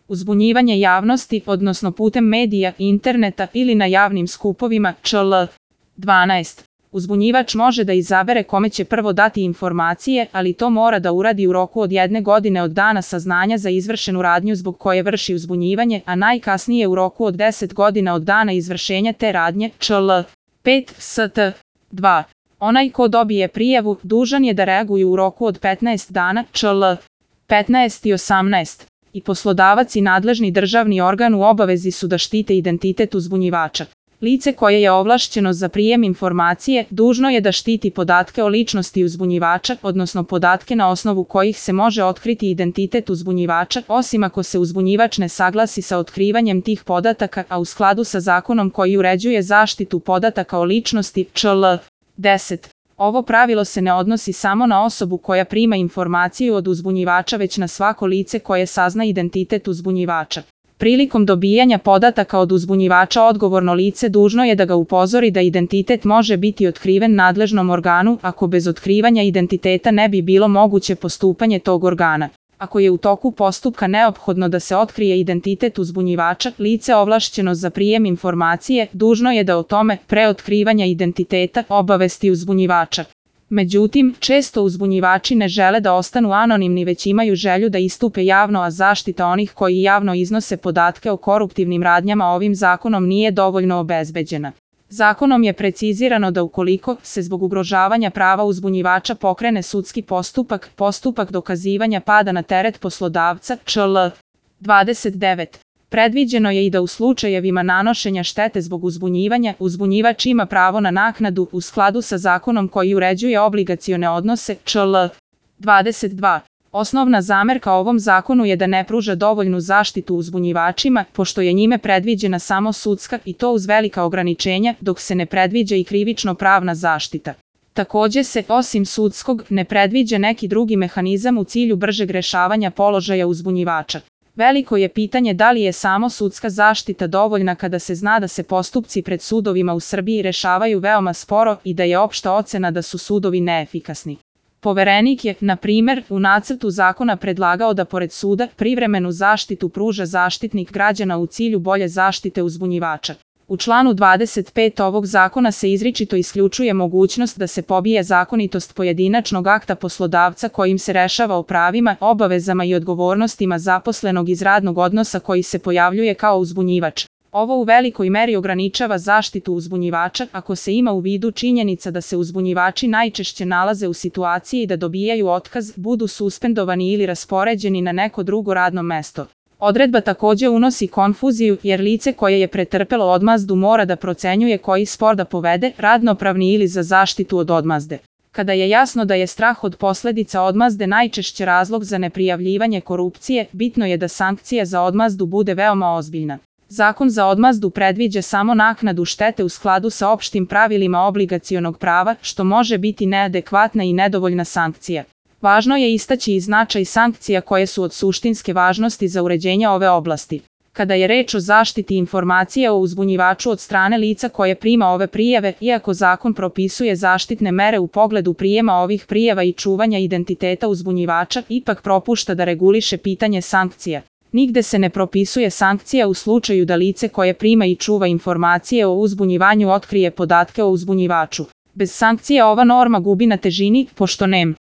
Uzbunjivanje javnosti, odnosno putem medija, interneta ili na javnim skupovima, čl. 12. Uzbunjivač može da izabere kome će prvo dati informacije, ali to mora da uradi u roku od 1 godine od dana saznanja za izvršenu radnju zbog koje vrši uzbunjivanje, a najkasnije u roku od 10 godina od dana izvršenja te radnje, čl. 5. st. 2. Onaj ko dobije prijavu, dužan je da reaguje u roku od 15 dana, čl. 15 i 18. I poslodavac i nadležni državni organ u obavezi su da štite identitet uzbunjivača. Lice koje je ovlašćeno za prijem informacije dužno je da štiti podatke o ličnosti uzbunjivača, odnosno podatke na osnovu kojih se može otkriti identitet uzbunjivača, osim ako se uzbunjivač ne saglasi sa otkrivanjem tih podataka, a u skladu sa zakonom koji uređuje zaštitu podataka o ličnosti, čl. 10. Ovo pravilo se ne odnosi samo na osobu koja prima informaciju od uzbunjivača, već na svako lice koje sazna identitet uzbunjivača. Prilikom dobijanja podataka od uzbunjivača odgovorno lice dužno je da ga upozori da identitet može biti otkriven nadležnom organu, ako bez otkrivanja identiteta ne bi bilo moguće postupanje tog organa. Ako je u toku postupka neophodno da se otkrije identitet uzbunjivača, lice ovlašćeno za prijem informacije dužno je da o tome, pre otkrivanja identiteta, obavesti uzbunjivača. Međutim, često uzbunjivači ne žele da ostanu anonimni, već imaju želju da istupe javno, a zaštita onih koji javno iznose podatke o koruptivnim radnjama ovim zakonom nije dovoljno obezbeđena. Zakonom je precizirano da ukoliko se zbog ugrožavanja prava uzbunjivača pokrene sudski postupak, postupak dokazivanja pada na teret poslodavca, čl. 29. Predviđeno je i da u slučajevima nanošenja štete zbog uzbunjivanja, uzbunjivač ima pravo na naknadu u skladu sa zakonom koji uređuje obligacione odnose, čl. 22. Osnovna zamerka ovom zakonu je da ne pruža dovoljnu zaštitu uzbunjivačima, pošto je njime predviđena samo sudska, i to uz velika ograničenja, dok se ne predviđa i krivično-pravna zaštita. Takođe se, osim sudskog, ne predviđa neki drugi mehanizam u cilju bržeg rešavanja položaja uzbunjivača. Veliko je pitanje da li je samo sudska zaštita dovoljna kada se zna da se postupci pred sudovima u Srbiji rešavaju veoma sporo i da je opšta ocena da su sudovi neefikasni. Poverenik je, na primer, u nacrtu zakona predlagao da pored suda privremenu zaštitu pruža Zaštitnik građana u cilju bolje zaštite uzbunjivača. U članu 25 ovog zakona se izričito isključuje mogućnost da se pobije zakonitost pojedinačnog akta poslodavca kojim se rešava o pravima, obavezama i odgovornostima zaposlenog iz radnog odnosa koji se pojavljuje kao uzbunjivač. Ovo u velikoj meri ograničava zaštitu uzbunjivača ako se ima u vidu činjenica da se uzbunjivači najčešće nalaze u situaciji da dobijaju otkaz, budu suspendovani ili raspoređeni na neko drugo radno mesto. Odredba takođe unosi konfuziju jer lice koje je pretrpelo odmazdu mora da procenjuje koji spor da povede, radnopravni ili za zaštitu od odmazde. Kada je jasno da je strah od posledica odmazde najčešće razlog za neprijavljivanje korupcije, bitno je da sankcija za odmazdu bude veoma ozbiljna. Zakon za odmazdu predviđa samo naknadu štete u skladu sa opštim pravilima obligacionog prava, što može biti neadekvatna i nedovoljna sankcija. Važno je istaći i značaj sankcija koje su od suštinske važnosti za uređenje ove oblasti. Kada je reč o zaštiti informacija o uzbunjivaču od strane lica koje prima ove prijave, iako zakon propisuje zaštitne mere u pogledu prijema ovih prijava i čuvanja identiteta uzbunjivača, ipak propušta da reguliše pitanje sankcija. Nigde se ne propisuje sankcija u slučaju da lice koje prima i čuva informacije o uzbunjivanju otkrije podatke o uzbunjivaču. Bez sankcija ova norma gubi na težini, pošto nema